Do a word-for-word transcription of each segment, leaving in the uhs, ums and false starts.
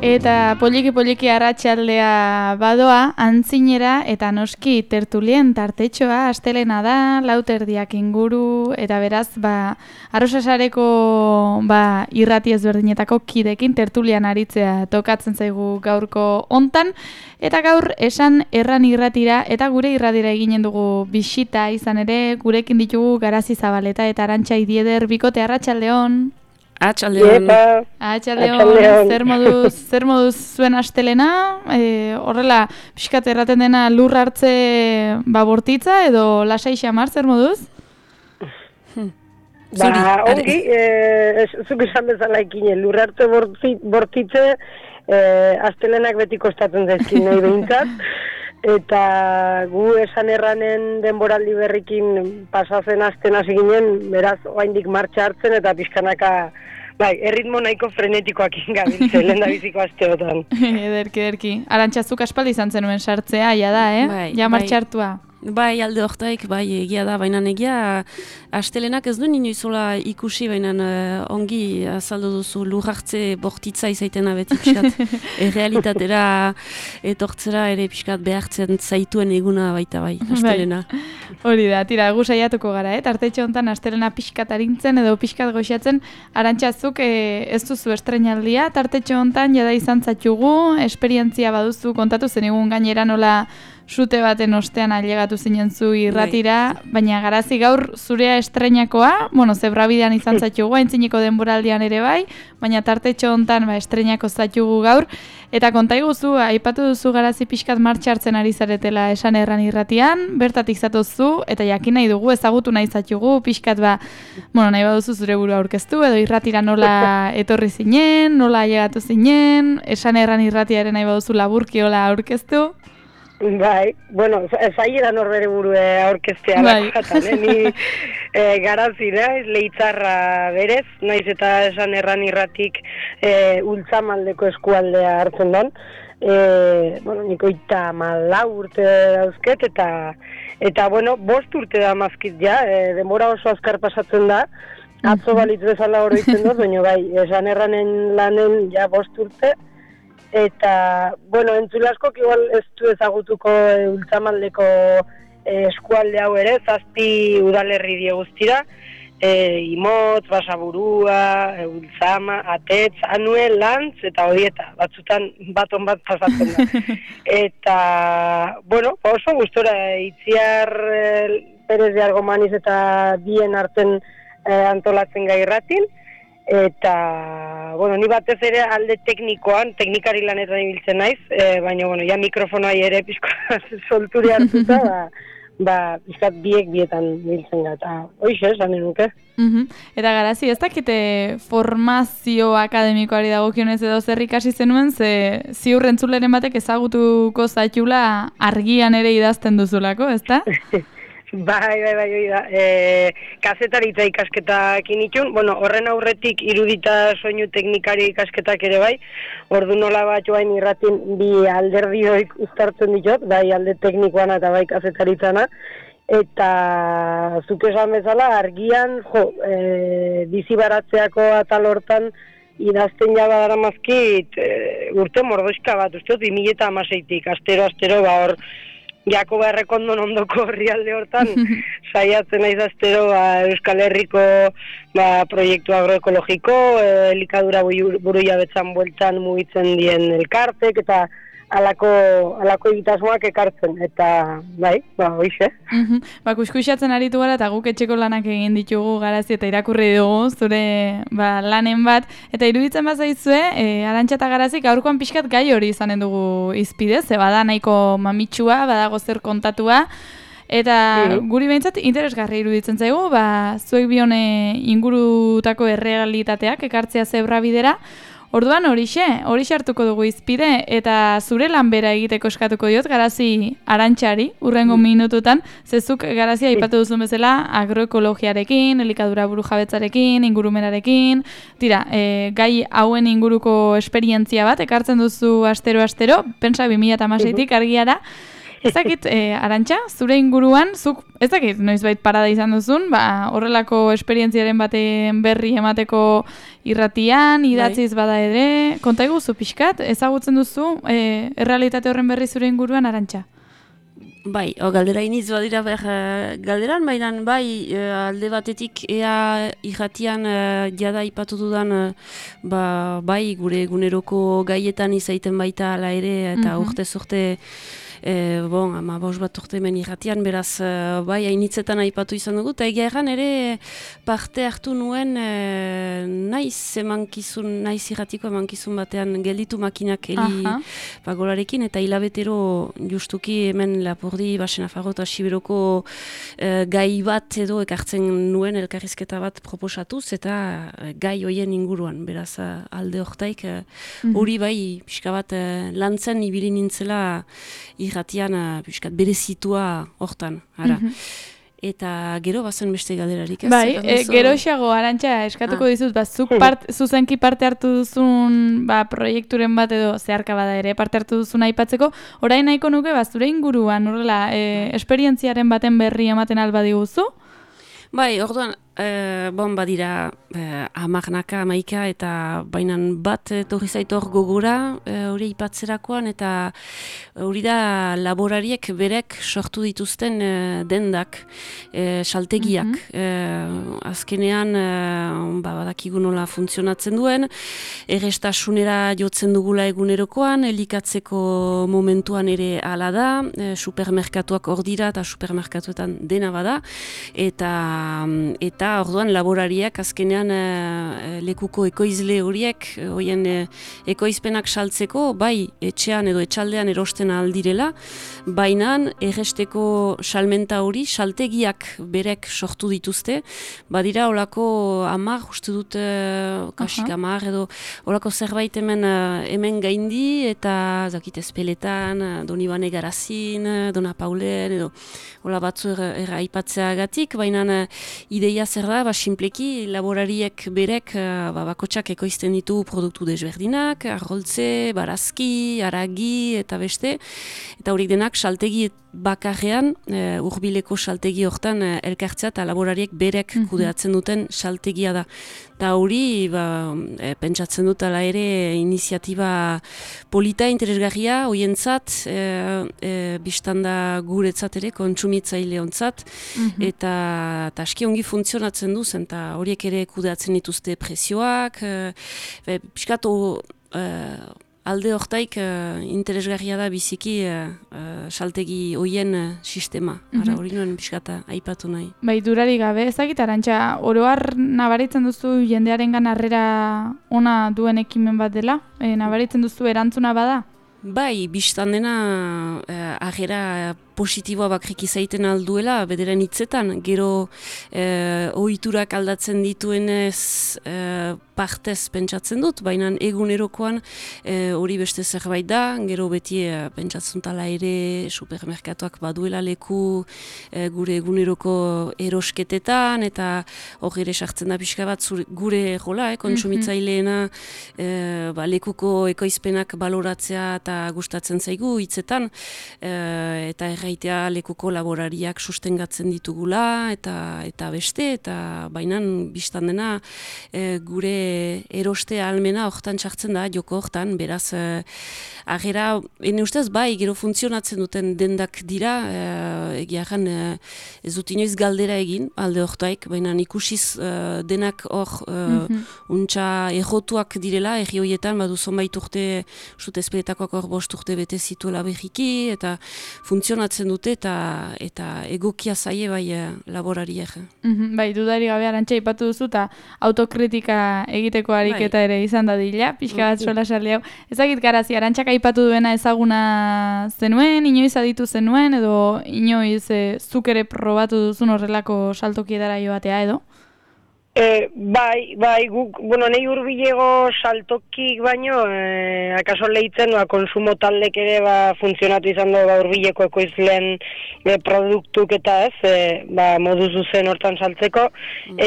Eta poliki-poliki arratsaldea badoa, antzinera eta noski tertulien tartetxoa astelena da, lauterdiak inguru, eta beraz, ba, arrosasareko ba, irrati ezberdinetako kidekin tertulian aritzea tokatzen zaigu gaurko hontan, eta gaur esan erran irratira, eta gure irratira eginen dugu bisita izan ere, gurekin ditugu Garazi Zabaleta eta Arantxa Idieder bikote. Arratsaldeon. Atxaldeon. Atxaldeon, zer moduz, zer moduz zuen astelena, e, horrela, pixkat erraten dena lur hartze ba, bortitza edo lasai xamar, zer moduz? Ba, ongi, e, zuk esan bezala ikine, lur hartze bortitze, e, astelenak beti kostatzen zaizkin nahi behintzat, eta gu esan erranen denboraldi berrikin pasazen asten hasi ginen, beraz, oraindik martxa hartzen eta pixkanaka, bai, erritmo nahiko frenetikoak ingabiltzen, lehen da biziko asteotan. Ederki, ederki. Arantxa, zuk aspaldi izan zenuen sartzea, ja da, eh? Bai, ja martxa hartua. Bai, alde hortaik, bai, egia da, baina egia, astelenak ez du inoizola ikusi, baina uh, ongi azaldu duzu lur hartze bortitza izaitena beti pixkat, errealitatera etortzera ere pixkat behartzen zaituen eguna baita bai, astelena. Bai. Hori da, tira, gu saiatuko gara, eh? Tartetxo honetan astelena pixkat arintzen edo pixkat goxatzen, Arantxazuk eh, ez duzu estrenaldia, tartetxo honetan jada izan zatxugu, esperientzia baduzu kontatu zenigun gainera nola sute baten ostean ailegatu zinen zu irratira, baina Garazi gaur zurea estreinakoa, bueno, zebrabidean izan zatxugu, aintzineko denboraldian ere bai, baina tartetxo hontan ba, estreinako zatxugu gaur, eta kontaiguzu, aipatu duzu Garazi pixkat martxa hartzen ari zaretela esan erran irratian, bertatik zatozu, eta jakin nahi dugu, ezagutu nahi zatxugu, pixkat ba, bueno, nahi baduzu zure burua aurkeztu, edo irratira nola etorri zinen, nola ailegatu zinen, esan erran irratiaren nahi baduzu laburki hola aurkeztu. Bai, bueno, zaila norbere burue aurkeztea bai. lakatan, eh? Ni e, Garazi naiz, Leitzarra berez, naiz eta esan erran irratik e, ultzamaldeko eskualdea hartzen don. E, bueno, niko eta malau urte dauzket, eta, eta bueno, bost urte da mazkit ja, e, denbora oso azkar pasatzen da, atzo balitz bezala horretzen dut, baina bai, esan erranen lanen ja bost urte, eta, bueno, entzulaskok igual ez du ezagutuko e, ultzamaldeko e, eskualde hau ere, zazpi udalerri die guztira, e, Imotz, Basaburua, e, Ultzama, Atetz, Anuel, Lantz eta Odieta, batzutan baton bat pasatzen da. Eta, bueno, oso gustora, Itziar e, Perez de Argomaniz eta bien arten e, antolatzen gai irratin, eta, bueno, ni batez ere alde teknikoan, teknikari lanetan ibiltzen naiz, e, baina, bueno, ja mikrofonai ere pizko solturi hartuta, ba, ba, pizkat biek bietan ibiltzen gara, eta hoxe, esan nuke. Uh-huh. Eta Garazi, ez dakite formazio akademikoari dagokionez edo zer ikasi zenuen, ze ziur entzuleren batek ezagutuko zaitula argian ere idazten duzulako, ezta? Bai, bai, bai, bai, da. E, kazetaritza ikasketak initun, bueno, horren aurretik irudita soinu teknikari ikasketak ere bai, ordu nola bat joain irratin bi alderdioik uztartzen ditot, bai alde teknikoan eta bai kazetaritzana, eta zuk esan bezala argian, jo, e, bizi baratzeako atal hortan idazten jaba dara mazkit e, urte mordoizka bat, usteot, bi mila eta hamaseitik, astero, astero, ba hor, Jakoba Errekondon ondoko herrialde hortan, saiatzen naiz astero ba, Euskal Herriko ba, proiektu agroekologiko, e, elikadura buruia betzan bueltan mugitzen dien elkartek, eta alako, alako egitasmoak ekartzen, eta bai, ba, hoize. Uh-huh. Ba, kuskusatzen aritu gara, eta guk etxeko lanak egin ditugu Garazi, eta irakurri dugu zure ba, lanen bat, eta iruditzen bat zaizue, e, Arantxa eta Garazi, gaurkoan pixkat gai hori izanen dugu izpide, ze bada nahiko mamitsua, badago zer kontatua, eta mm-hmm. guri behintzat interesgarri iruditzen zaigu, ba, zuek bione ingurutako errealitateak ekartzea zebra bidera. Orduan horixe, horixe hartuko dugu izpide, eta zure lan bera egiteko eskatuko diot Garazi Arantxari, urrengo minututan, zezuk Garazi aipatu duzun bezala agroekologiarekin, elikadura burujabetzarekin, ingurumenarekin, tira, e, gai hauen inguruko esperientzia bat, ekartzen duzu astero-astero, pentsa bi mila hamaseitik argiara, Ez dakit, e, Arantxa, zure inguruan, zuk, ez dakit, noizbait parada izan duzun, ba, horrelako esperientziaren baten berri emateko irratian, idatziz bada ere, konta iguzu pixkat, ezagutzen duzu, e, errealitate horren berri zure inguruan, Arantxa? Bai, o, galdera iniz badira behar uh, galderan, baina bai uh, alde batetik ea irratian uh, jada ipatu dudan uh, ba, bai gure eguneroko gaietan izaiten baita ala ere eta Mhm. urte urte E, bon, ama baus bat urte hemen irratian, beraz, uh, bai, hainitzetan aipatu izan dugu, eta egia erran ere parte hartu nuen e, naiz emankizun, naiz irratiko emankizun batean gelditu makinak heli pagolarekin, eta hilabetero justuki hemen Lapurdi, Basenafarro eta Siberoko e, gai bat edo ekartzen nuen elkarrizketa bat proposatuz, eta e, gai hoien inguruan, beraz, alde hortaik, hori bai, pixka bat e, lantzen ibili nintzela irratian piskat berezitua hortan, ara. Mm -hmm. Eta gero bazen beste galderarik, ez? Bai, e, gero xago, Arantxa, eskatuko ah. dizut, ba, zuk part, zuzenki parte hartu duzun ba, proiekturen bat edo zeharka bada ere, parte hartu duzun aipatzeko, orain nahiko nuke, ba, zure inguruan, horrela, e, esperientziaren baten berri ematen alba diguzu? Bai, orduan, e, bon, badira e, amarnaka, amaika, eta bainan bat etorri zaitor gogora hori e, ipatzerakoan, eta hori da laborariek berek sortu dituzten e, dendak, e, saltegiak. Mm-hmm. e, azkenean, e, ba, badakigu nola funtzionatzen duen, errestasunera jotzen dugula egunerokoan, elikatzeko momentuan ere hala da, e, supermerkatuak hor dira, eta supermerkatuetan dena bada, eta eta orduan laborariak azkenean e, lekuko ekoizle horiek, horien e, ekoizpenak saltzeko, bai etxean edo etxaldean erosten aldirela, baina erresteko salmenta hori saltegiak berek sortu dituzte, badira olako amar, uste dut e, kasik amar edo olako zerbait hemen, hemen gaindi, eta zakit ezpeletan, Donibane Garazin, Dona Paulen, edo hola batzu erra aipatzeagatik, baina ideia zer da, ba, simpleki laborariek berek ba, bakotxak ekoizten ditu produktu desberdinak, arroltze, barazki, aragi eta beste, eta horiek denak saltegi bakarrean, e, urbileko saltegi hortan e, elkartzea eta laborariek berek mm-hmm. kudeatzen duten saltegia da. Eta hori, ba, e, pentsatzen dut ala ere iniziatiba polita, interesgarria, hoientzat, e, e, biztanda guretzat ere, kontsumitzaile ontzat, mm-hmm. eta, eta aski ongi funtzionatzen duzen, eta horiek ere kudeatzen dituzte prezioak, e, piskatu e, alde hortaik uh, interesgarria da biziki uh, uh, saltegi hoien uh, sistema. Ara hori nuen pixkata aipatu nahi. Bai, durari gabe, ezagit, Arantxa, oroar nabaritzen duzu jendearengan harrera ona duen ekimen bat dela? E, nabaritzen duzu erantzuna bada? Bai, biztan dena uh, harrera positiboa bakrik izaiten alduela, bederen hitzetan, gero eh, ohiturak aldatzen dituenez eh, partez pentsatzen dut, baina egunerokoan hori eh, beste zerbait da, gero beti eh, pentsatzen tala ere supermerkatuak baduela leku eh, gure eguneroko erosketetan, eta hori ere sartzen da pixka bat zure, gure jola, eh, kontsumitzaileena eh, ba, lekuko ekoizpenak baloratzea eta gustatzen zaigu hitzetan, eh, eta erraitea lekuko laborariak sustengatzen ditugula eta eta beste, eta bainan biztan dena e, gure eroste ahalmena hortan txartzen da, joko hortan, beraz e, agera, ene ustez bai, gero funtzionatzen duten dendak dira, e, egiaran e, ez dut inoiz galdera egin, alde hortaik, baina ikusiz e, denak hor e, mm-hmm. untxa errotuak direla, erri horietan, badu zonbait urte, usut ezpeletakoak hor bost urte bete zituela berriki, eta funtzionatzen dute eta eta egokia zaie bai laborariek. Mm-hmm, bai, dudari gabe Arantxa ipatu duzu eta autokritika egiteko ariketa bai. Ere izan dadila, pixka bat sola sarli hau. Ezagit Garazi, Arantxak aipatu duena ezaguna zenuen, inoiz aditu zenuen, edo inoiz e, zuk ere probatu duzun horrelako saltokietara joatea edo? E, bai, bai, guk, bueno, nahi hurbilego saltokik baino, e, akaso lehitzen, ba, konsumo taldek ere ba, funtzionatu izan du ba, hurbileko ekoizlen e, produktuk eta ez, e, ba, modu zuzen hortan saltzeko,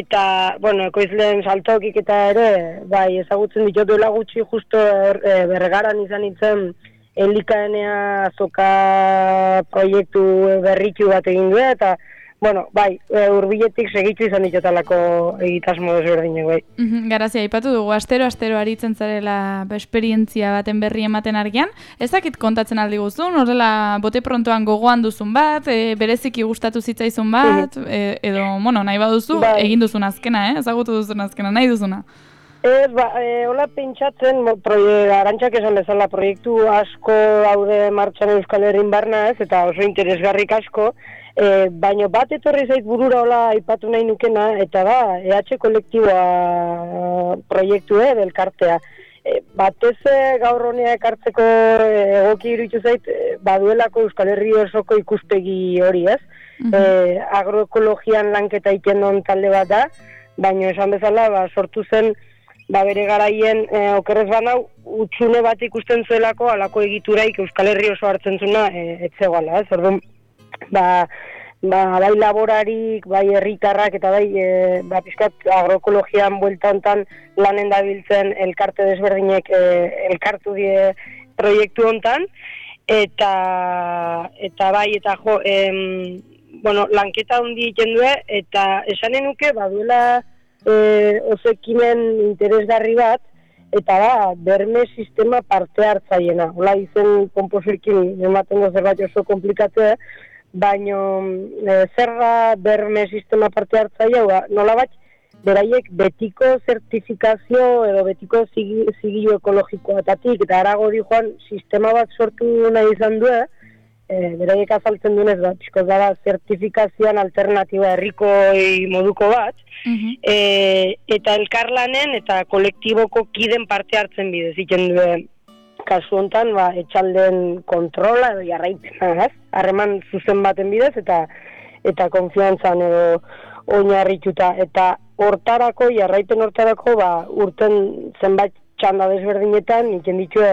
eta, bueno, ekoizlen saltokik eta ere, bai, ezagutzen ditut duela gutxi justo e, bergaran izan itzen elikaenea azoka proiektu berritu bat egin du, eta bueno, bai, hurbiletik segitu izan ditotalako egitasmo desberdinek, bai. Mm-hmm, Garazia, aipatu dugu, astero-astero aritzen zarela esperientzia baten berri ematen argian. Ezakit kontatzen aldi guzun, horrela bote prontoan gogoan duzun bat, e, bereziki gustatu zitzaizun bat, e, edo, bueno, nahi baduzu, bai. Egin duzun azkena, eh? Ezagutu duzun azkena, nahi duzuna. Ez, ba, e, hola pentsatzen, Arantxak esan bezala proiektu asko daude martxan Euskal Herrin barna ez, eta oso interesgarrik asko, e, baina bat etorri zait burura hola aipatu nahi nukena, eta da, E H kolektiboa proiektu eh, delkartea. E, batez gaur honea ekartzeko egoki iruditu zait, e, baduelako Euskal Herri osoko ikuspegi hori ez, mm-hmm. e, agroekologian lanketa egiten duen talde bat da, baina esan bezala ba, sortu zen ba bere garaien e, okerrez banau utxune bat ikusten zuelako alako egituraik Euskal Herri oso hartzen zuna e, etzegoala, ez? Orduan, ba, ba, bai laborarik, bai herritarrak eta bai e, ba, pizkat agroekologian buelta hontan lanen dabiltzen elkarte desberdinek e, elkartu die proiektu hontan eta eta bai eta jo, em, bueno, lanketa handi egiten du eta esanen nuke baduela E, oso ekimen interesgarri bat, eta da, berme sistema parte hartzaiena. Hola izen komposoekin ematen da zerbait oso komplikatzea, baina e, zerra berme sistema parte hartzaia, ba, nola bat, beraiek betiko zertifikazio edo betiko zigilu ekologikoatatik, eta arago di joan sistema bat sortu nahi izan du, e, beraiek azaltzen duenez, ba, pixko da, zertifikazioan alternatiba herrikoi moduko bat, Uh-huh. E, eta elkarlanen eta kolektiboko kiden parte hartzen bidez egiten duen kasu hontan ba, etxalden kontrola edo jarraipena, harreman zuzen baten bidez eta eta konfiantzan edo oinarrituta eta hortarako, jarraipen hortarako ba, urten zenbait txanda desberdinetan egiten ditue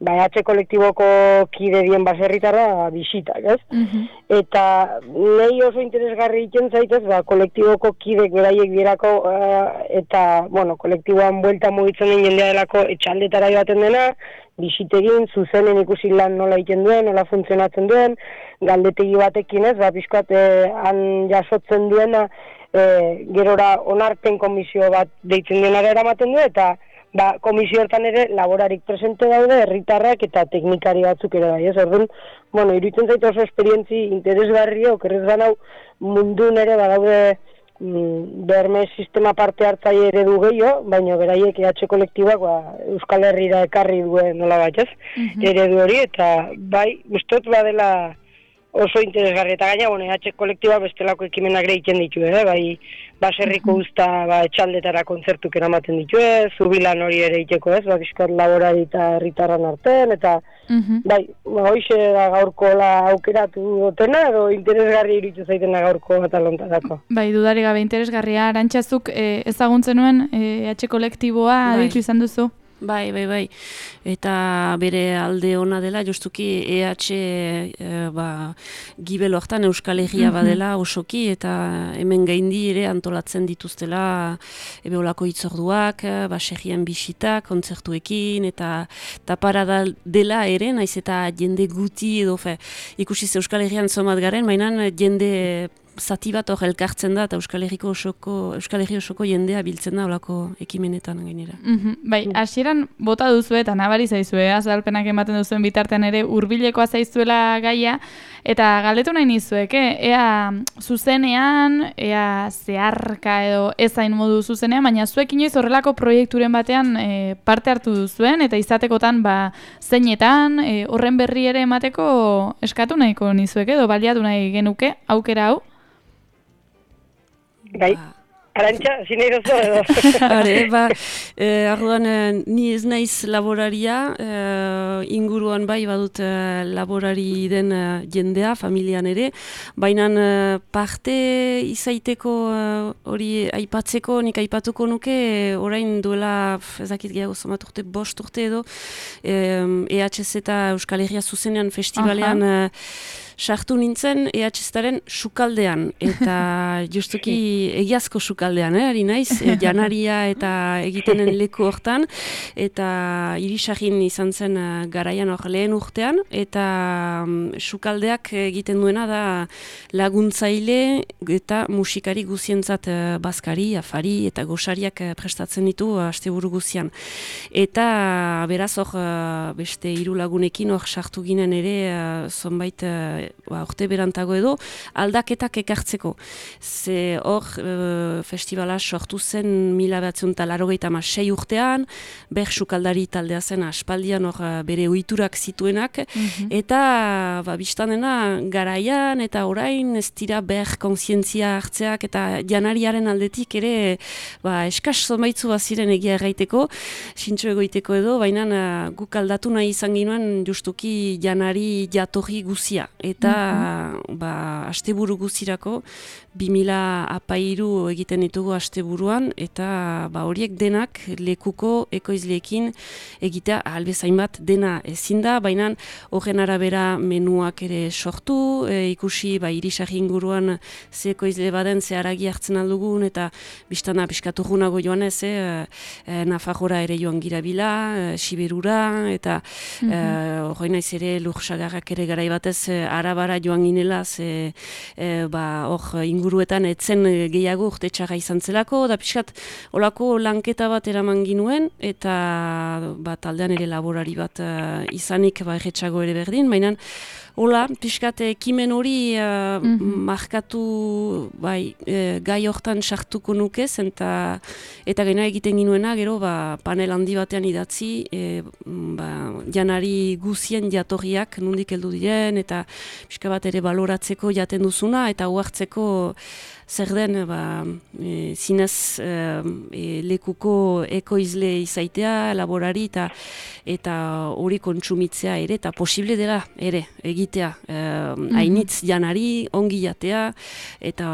ba, E H kolektiboko kide dien baserritarra bisitak, ez? Uh-huh. Eta nahi oso interesgarri egiten zaitez, ba, kolektiboko kidek beraiek dirako uh, eta, bueno, kolektiboan buelta mugitzen den jendea delako etxaldetara joaten dena, bisitegin, zuzenen ikusi lan nola egiten duen, nola funtzionatzen duen, galdetegi batekin ez, ba, pixkat eh, han jasotzen duena, eh, gerora onarpen komisio bat deitzen denara eramaten du, eta ba, komisio hortan ere laborarik presente daude, herritarrak eta teknikari batzuk ere bai, ez? Orduan, bueno, iruditzen zaitu oso esperientzi interesgarria, okerrez ganau mundun ere badaude mm, berme sistema parte hartzaile eredu gehiago, baina beraiek E H kolektibak ba, Euskal Herrira ekarri duen nola bat, ez? Mm-hmm. Eredu hori, eta bai, ustot badela oso interesgarri, eta gaina, bueno, E H kolektiba bestelako ekimenak ere egiten ditu, eh? Bai, baserriko usta ba, etxaldetara kontzertuk eramaten ditu, zubilan hori ere egiteko, ez? Ba, bizkat laborari eta herritarran artean, eta uh-huh. bai, ba, hoxe da gaurko la aukeratu dutena, edo interesgarri iruditu zaitena gaurko atalontarako. Bai, dudari gabe interesgarria, Arantxazuk eh, ezaguntzen nuen E H kolektiboa bai. Aditu izan duzu? Bai, bai, bai. Eta bere alde ona dela, justuki E H e, ba, gibel hortan Euskal Herria badela osoki, eta hemen gaindi ere antolatzen dituztela ebeolako hitzorduak, baserrian bisitak, kontzertuekin, eta taparada dela ere, naiz eta jende guti edo, fe, ikusi Euskal Herrian zomat garen, mainan jende zati bat hor elkartzen da, eta Euskal Herriko osoko, Euskal Herri osoko jendea biltzen da olako ekimenetan gainera. Mm-hmm. Bai, hasieran bota duzu eta nabari zaizue, azalpenak ematen duzuen bitartean ere hurbilekoa zaizuela gaia, eta galdetu nahi nizuek, eh? Ea zuzenean, ea zeharka edo ezain modu zuzenean, baina zuek inoiz horrelako proiekturen batean e, parte hartu duzuen, eta izatekotan ba, zeinetan, e, horren berri ere emateko eskatu nahiko nizuek edo baliatu nahi genuke, aukera hau. Bai, Arantxa, zine irozo edo. Hare, ba, eh, arduan, eh, ni ez naiz laboraria, eh, inguruan bai badut eh, laborari den eh, jendea, familian ere, baina eh, parte izaiteko hori eh, aipatzeko, nik aipatuko nuke, eh, orain duela, ezakit gehiago zomat urte, bost urte edo, eh, E H Z eta Euskal Herria zuzenean festivalean, uh-huh. sartu nintzen E H Z-aren sukaldean, eta justuki egiazko sukaldean, eh, ari naiz, e, janaria eta egitenen leku hortan, eta irisagin izan zen uh, garaian hor lehen urtean, eta um, sukaldeak egiten duena da laguntzaile eta musikari guzientzat uh, bazkari, afari eta gosariak uh, prestatzen ditu uh, asteburu guzian. Eta beraz hor uh, beste hiru lagunekin hor sartu ginen ere uh, zonbait uh, urte berantago edo aldaketak ekartzeko. Ze hor uh, festivala sortu zen mila bederatziehun eta laurogeita hamasei urtean, ber sukaldari taldea zen aspaldian hor uh, bere ohiturak zituenak, mm-hmm. eta ba, biztanena garaian eta orain ez dira ber kontzientzia hartzeak eta janariaren aldetik ere ba, eskas zonbaitzu baziren egia erraiteko, sintxo egoiteko edo, baina uh, guk aldatu nahi izan ginoen justuki janari jatorri guzia. Eta mm-hmm. ba, asteburu guzirako, bi mila apairu egiten ditugu asteburuan, eta ba, horiek denak lekuko ekoizleekin egitea ahalbezain bat dena ezin da, baina horren arabera menuak ere sortu, e, ikusi ba, irisari inguruan ze ekoizle baden ze haragi hartzen aldugun, eta biztana piskatugunago joan ez, e, e, Nafarroa ere joan girabila, e, Siberura, eta mm-hmm. hori naiz ere lursagarrak ere garai batez e, arabara joan ginela, ze e, ba, hor inguruetan etzen gehiago urte txarra izan zelako, da pixkat olako lanketa bat eraman ginuen, eta ba, taldean ere laborari bat uh, izanik ba, erretxago ere berdin, baina hola, pixkat ekimen hori uh, mm-hmm. markatu bai, e, gai hortan sartuko nukez, eta, eta gaina egiten ginuena, gero ba, panel handi batean idatzi, e, ba, janari guzien jatorriak nondik heldu diren, eta pixka bat ere baloratzeko jaten duzuna, eta uhartzeko zer den ba, e, zinez e, lekuko ekoizle izaitea, laborari, eta eta hori kontsumitzea ere, eta posible dela ere egitea. E, mm-hmm. Hainitz janari, ongi jatea, eta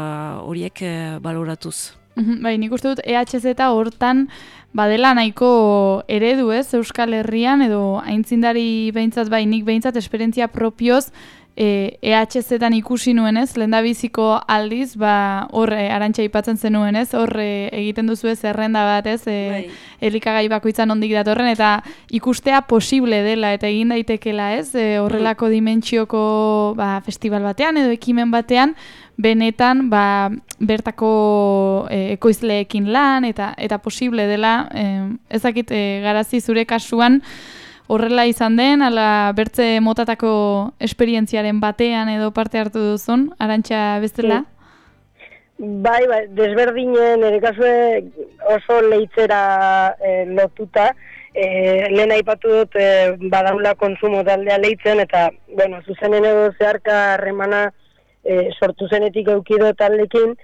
horiek e, baloratuz. Mm-hmm. Bai, nik uste dut E H Z hortan badela nahiko eredu ez, Euskal Herrian, edo aintzindari behintzat, bai, nik behintzat esperientzia propioz, E H Z-an ikusi nuenez, lehendabiziko aldiz, ba, hor e, Arantxa aipatzen zenuenez, hor e, egiten duzu ez zerrenda bat ez, e, elikagai bakoitzan ondik datorren, eta ikustea posible dela, eta egin daitekela ez, e, horrelako dimentsioko ba, festival batean, edo ekimen batean, benetan ba, bertako e, ekoizleekin lan, eta eta posible dela, e, ezakit e, Garazi zure kasuan, horrela izan den, ala bertze motatako esperientziaren batean edo parte hartu duzun, Arantxa bezala? Bai, bai, desberdinen, ere kasue oso leitzera e, lotuta, e, lehen aipatu dut e, badaula kontsumo taldea leitzen, eta, bueno, zuzenen edo zeharka harremana e, sortu zenetik eukido taldekin,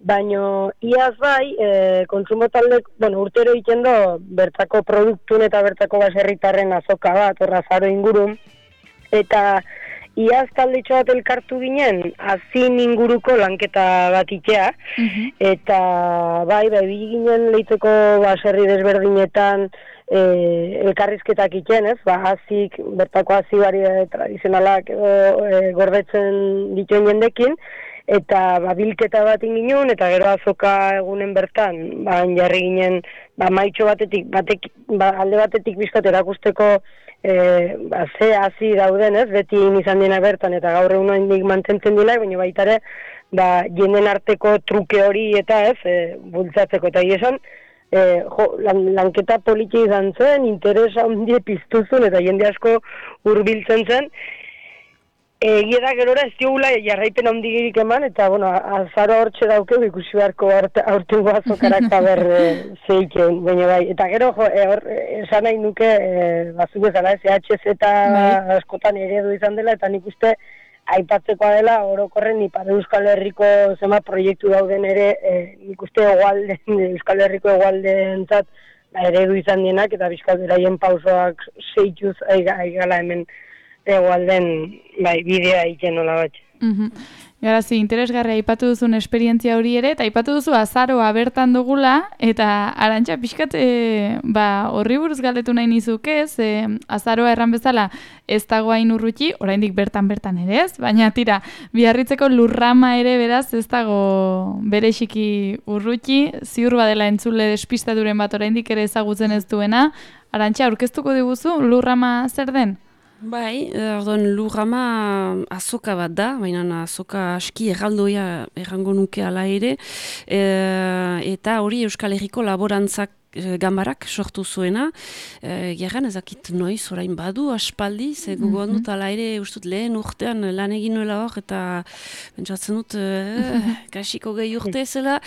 baino iaz bai, e, kontsumo taldek, bueno, urtero egiten do, bertako produktun eta bertako baserritarren azoka bat, orrazaro ingurun, eta iaz taldetxo bat elkartu ginen, azin inguruko lanketa bat itea, mm-hmm. eta bai, bai, bi ginen leiteko baserri desberdinetan e, elkarrizketak iten, ez, ba, azik, bertako azi bari tradizionalak edo e, gordetzen dituen jendekin, eta ba, bilketa bat inginun, eta gero azoka egunen bertan, ba, jarri ginen, ba, maitxo batetik, batek, ba, alde batetik bizkat erakusteko e, ba, ze hazi dauden, ez, beti izan dena bertan, eta gaur egun handik mantentzen dila, baina baita ere, ba, jenden arteko truke hori eta ez, e, bultzatzeko, eta esan, e, jo, lan, lanketa poliki izan zen, interesa ondie piztuzun, eta jende asko hurbiltzen zen, Egia da gerora ez diogula jarraipen handigirik eman, eta, bueno, azaro hortxe daukeu ikusi beharko aurtengo azokarak haber e, zeiken, baina bai. Eta gero, jo, e, hor, esan nahi nuke, e, bazuk bezala ez, E H Z askotan eredu izan dela, eta nik uste aipatzekoa dela, orokorren Ipar Euskal Herriko zema proiektu dauden ere, e, nik uste egualden, Euskal Herriko egualdentzat ba, eredu izan dienak, eta bizkal beraien pausoak zeituz aigala hemen egualden bai, bidea egiten nola bat. Mhm. Garazi, interesgarria aipatu duzun esperientzia hori ere, eta aipatu duzu azaroa bertan dugula, eta Arantxa pixkat e, ba, horri buruz galdetu nahi nizuk ez, e, azaroa erran bezala ez dago hain urruti, oraindik bertan-bertan ere ez, baina tira, Biarritzeko lurrama ere beraz ez dago berexiki urruti, ziur badela entzule despistaturen bat oraindik ere ezagutzen ez duena. Arantxa, aurkeztuko diguzu lurrama zer den? Bai, orduan lurrama azoka bat da, baina azoka aski erraldoia errango nuke ala ere, e, eta hori Euskal Herriko laborantzak gambarak sortu zuena, e, gerran ezakit noiz orain badu aspaldi, ze gogoan dut ala ere ustut lehen urtean lan egin nuela hor, eta pentsatzen dut e, kasiko gehi urte zela,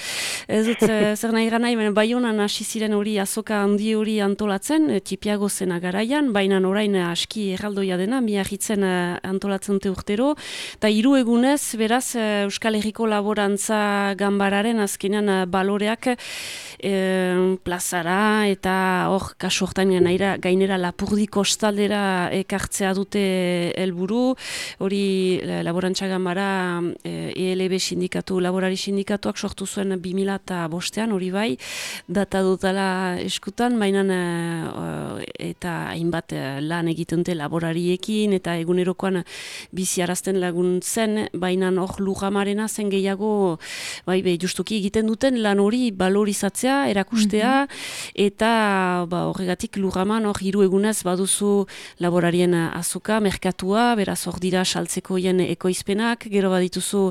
ez dut e, zer nahi gana, baina Baionan hasi ziren hori azoka handi hori antolatzen, e, txipiago zena garaian, baina orain aski erraldoia dena, Biarritzen antolatzen dute urtero, eta hiru egunez, beraz, Euskal Herriko laborantza gambararen azkenean baloreak e, plaza zara, eta hor, kasu hortan gainera Lapurdi kostaldera ekartzea dute helburu, hori laborantza gamara E L B sindikatu, laborari sindikatuak sortu zuen bi mila bostean, hori bai, data dutala eskutan, baina eta hainbat lan egiten dute laborariekin, eta egunerokoan biziarazten laguntzen, baina hor lujamarena zen gehiago, bai, be, justuki egiten duten lan hori valorizatzea, erakustea, mm-hmm. Eta ba, horregatik lurraman hor hiru egunez baduzu laborarien azoka, merkatua, beraz hor dira saltzeko hien ekoizpenak, gero badituzu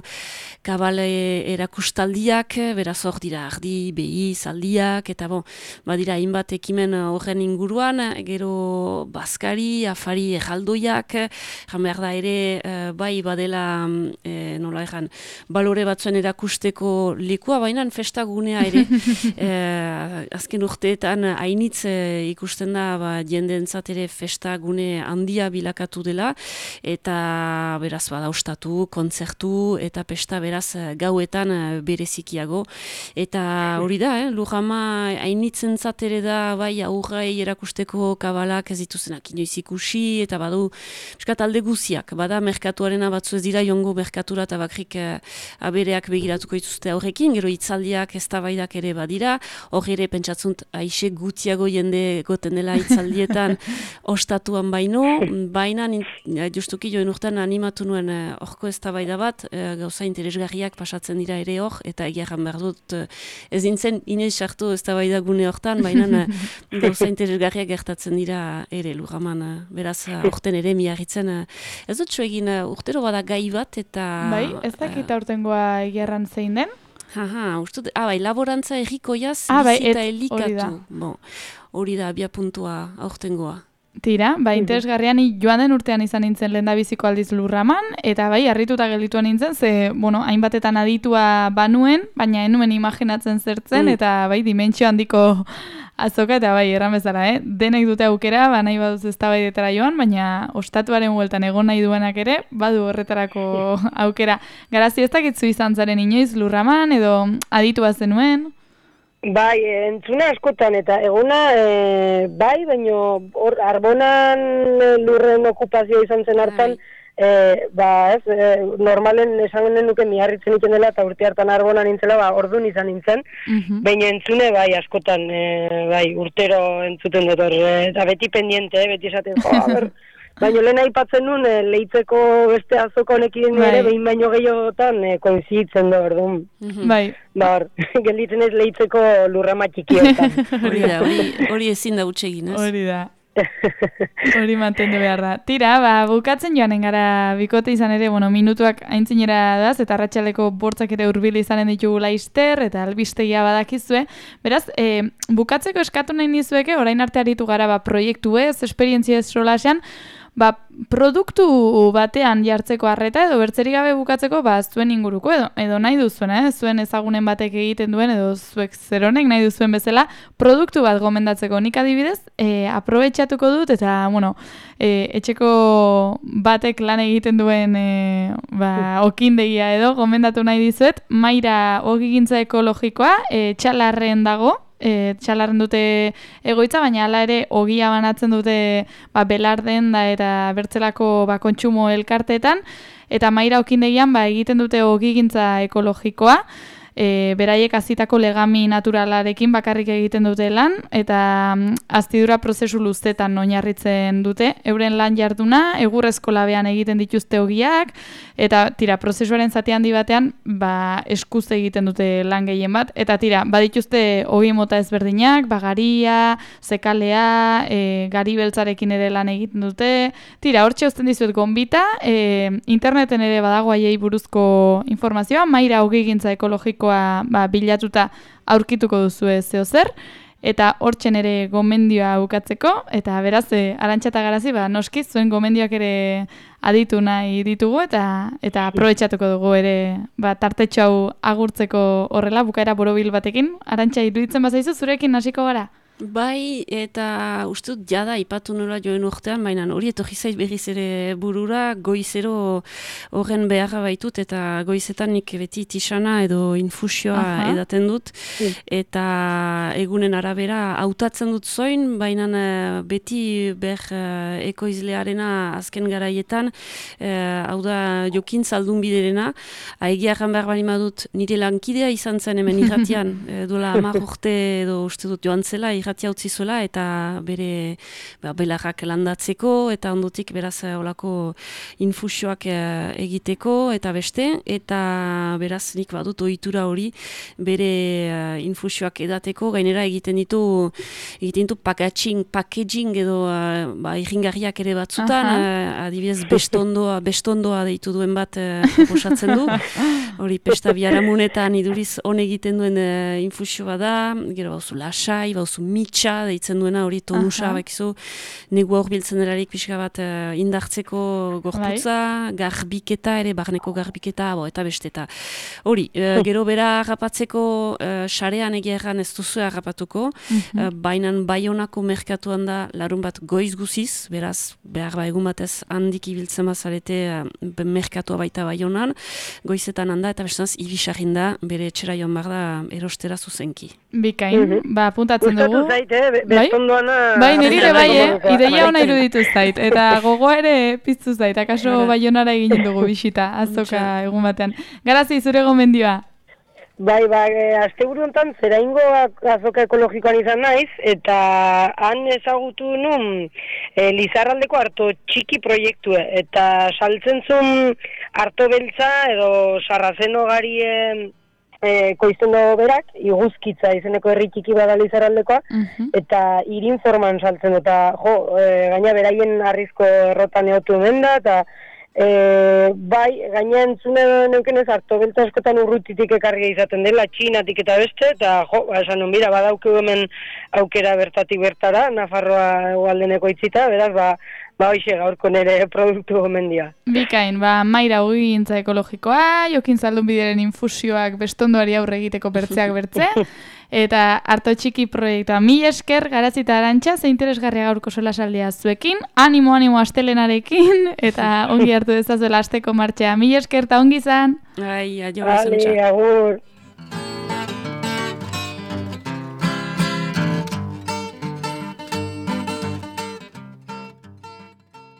kabale erakustaldiak, beraz hor dira ardi, behi, zaldiak, eta bon, badira hainbat ekimen horren inguruan, gero bazkari, afari erraldoiak, jan behar da ere, bai badela, e, nola egan, balore batzuen erakusteko lekua, baina festagunea ere, e, azken urteetan hainitz e, ikusten da ba, jendeentzat ere festa gune handia bilakatu dela, eta beraz badaustatu, kontzertu eta pesta beraz gauetan berezikiago, eta hori da, eh, lurrama hainitzentzat ere da bai aurrai erakusteko kabalak ez dituzenak inoiz ikusi, eta badu piskat alde guziak, bada merkatuarena batzu ez dira jongo merkatura eta bakrik e, abereak begiratuko dituzte aurrekin, gero hitzaldiak eztabaidak ere badira, hor ere pentsatzen aixe gutiago jende goten dela hitzaldietan ostatuan baino, baina justuki joen urtean animatu nuen horko eztabaida bat, e, gauza interesgarriak pasatzen dira ere hor, eta egiarran behar dut ez dintzen inoiz sartu eztabaida gune hortan, baina gauza interesgarriak gertatzen dira ere lurraman, beraz urten ere miarritzen, ez dut egin urtero bada gai bat, eta... Bai, ez dakit aurtengoa egiarran zein den? Aha, ustut, ah, bai, laborantza errikoiaz ah, bai, bizita elikatu. Bon, hori da, abia puntua aurtengoa. Tira, ba, interesgarrian joan den urtean izan nintzen lehendabiziko aldiz lurraman, eta bai, harrituta gelditua nintzen, ze, bueno, hainbatetan aditua banuen, baina enuen imaginatzen zertzen, mm. eta bai, dimentsio handiko azoka, eta bai, erran bezala, eh? Denek dute aukera, ba, nahi baduz eztabaidetara joan, baina ostatuaren bueltan egon nahi duenak ere, badu horretarako aukera. Garazi ez dakitzu izan zaren inoiz lurraman, edo aditua zenuen? Bai, entzuna askotan, eta eguna, e, bai, baina hor, arbonan lurren okupazioa izan zen hartan, e, ba, ez, e, normalen esan nuke miarritzen iken dela, eta urte hartan arbonan nintzela, ba, orduan izan nintzen, uh-huh. Baina entzune, bai, askotan, e, bai, urtero entzuten dut hor, e, eta beti pendiente, eh, beti esaten, jo, a ber, baina lehen aipatzen nuen, e, leitzeko beste azoko honekin bai. Ere, behin baino gehiagotan, e, koinzitzen da, orduan. Uh-huh. Bai. Ba, hor, gelditzen ez leitzeko lurrama txikiotan. Hori da, hori ezin da utxegin, ez? Hori da. Hori mantendu behar da. Tira, ba, bukatzen joanen gara bikote izan ere, bueno, minutuak aintzinera daz, eta arratsaleko bortzak ere hurbil izanen ditugu laizter, eta albistegia badakizue. Beraz, e, bukatzeko eskatu nahi nizueke, orain arte aritu gara, ba, proiektu ez, esperientzia ez solasean, ba, produktu batean jartzeko arreta edo bertzerik gabe bukatzeko ba, zuen inguruko edo, edo nahi duzuen, eh? Zuen ezagunen batek egiten duen edo zuek zeronek nahi duzuen bezala produktu bat gomendatzeko. Nik adibidez, e, aprobetxatuko dut eta, bueno, e, etxeko batek lan egiten duen e, ba, okindegia edo gomendatu nahi dizuet, Maira ogigintza ekologikoa, e, Txalarren dago, e, txalarren dute egoitza, baina hala ere ogia banatzen dute ba, belarden da eta bertzelako ba, kontsumo elkarteetan, eta Maira Okindegian ba, egiten dute ogigintza ekologikoa, E, beraiek hazitako legami naturalarekin bakarrik egiten dute lan, eta mm, aztidura prozesu luzetan oinarritzen dute. Euren lan jarduna, egurrezko labean egiten dituzte ogiak, eta tira, prozesuaren zati handi batean, ba, eskuz egiten dute lan gehien bat, eta tira, badituzte ogi mota ezberdinak, bagaria, zekalea, e, gari beltzarekin ere lan egiten dute, tira, hortxe uzten dizuet gonbita, e, interneten ere badago haiei buruzko informazioa, Maira Ogigintza Ekologiko Ba, bilatuta aurkituko duzu zeo zer, eta hortzen ere gomendioa bukatzeko, eta beraz, e, Arantxa eta Garazi, ba, noski, zuen gomendioak ere aditu nahi ditugu, eta eta aprobetxatuko dugu ere ba, tartetxo hau agurtzeko horrela, bukaera borobil batekin. Arantxa, iruditzen bazaizu, zurekin hasiko gara? Bai, eta uste dut jada ipatu nola joen urtean, baina hori etorri zait berriz ere burura, goizero horren beharra baitut, eta goizetan nik beti tisana edo infusioa Aha. edaten dut, eta egunen arabera hautatzen dut zoin, baina beti ber ekoizlearena azken garaietan, eh, hau da jokin zaldun biderena, egia erran behar bali madut nire lankidea izan zen hemen irratian, e, duela hamar urte edo uste dut joan zela, irratia utzi zuela, eta bere ba, belarrak landatzeko, eta ondotik beraz olako infusioak e, egiteko, eta beste, eta beraz nik badut ohitura hori bere uh, infusioak edateko, gainera egiten ditu egiten ditu packaging, packaging edo uh, ba, irringarriak ere batzutan, uh, adibidez bestondoa, bestondoa deitu duen bat uh, proposatzen du, hori pesta biharamunetan iduriz on egiten duen uh, infusioa da, gero bauzu lasai, bauzu mitxa deitzen duena, hori tonusa, bakizu, negua hor biltzen delarik pixka bat uh, indartzeko gorputza, Bai. garbiketa ere, barneko garbiketa, bo, eta besteta. Hori, uh, gero bera harrapatzeko uh, sarean egia erran ez duzu harrapatuko, mm-hmm. uh, bainan Baionako merkatuan da larun bat goiz guziz, beraz, behar ba egun batez handik ibiltzen bazarete uh, merkatua baita Baionan, goizetan handa, eta bestanaz, ibisarrin da, bere etxera joan behar da erostera zuzenki. Bikain, mm-hmm. ba, puntatzen dugu. Zait, eh? Bestondoana... Bai, niri ere bai, eh? Ideia hona iruditu zait. Eta gogoa ere piztu zait. Akaso Baionara egin dugu bisita, azoka egun batean. Garazi, zure gomendioa. Bai, bai, asteburu honetan zeraingo azoka ekologikoan izan naiz, eta han ezagutu nun e, Lizarraldeko arto txiki proiektue, eta saltzen zuen arto beltza edo sarrazeno garie e, koizten dago berak, iguzkitza izeneko herri txiki bada Lizarraldekoa, uh-huh. eta irin forman saltzen, eta jo, e, gaina beraien arrizko errotan eotu hemen da, eta E, bai, gaina entzune neukenez harto beltza askotan urrutitik ekarria izaten dela, Txinatik eta beste, eta jo, esan non, bira, badaukeu hemen aukera bertatik bertara, Nafarroa egualdeneko itzita, beraz, ba, ba hoxe gaurko nire produktu gomendia. Bikain, ba, Maira Ogigintza Ekologikoa, Jokin Zaldun Bideren infusioak bestondoari aurre egiteko bertzeak bertze, eta harto txiki proiektua. Mil esker, Garazi eta Arantxa, ze interesgarria gaurko solasaldia zuekin, animo, animo astelenarekin, eta ongi hartu dezazuela asteko martxea. Mil esker eta ongi izan. Ai, aio, Vale, agur.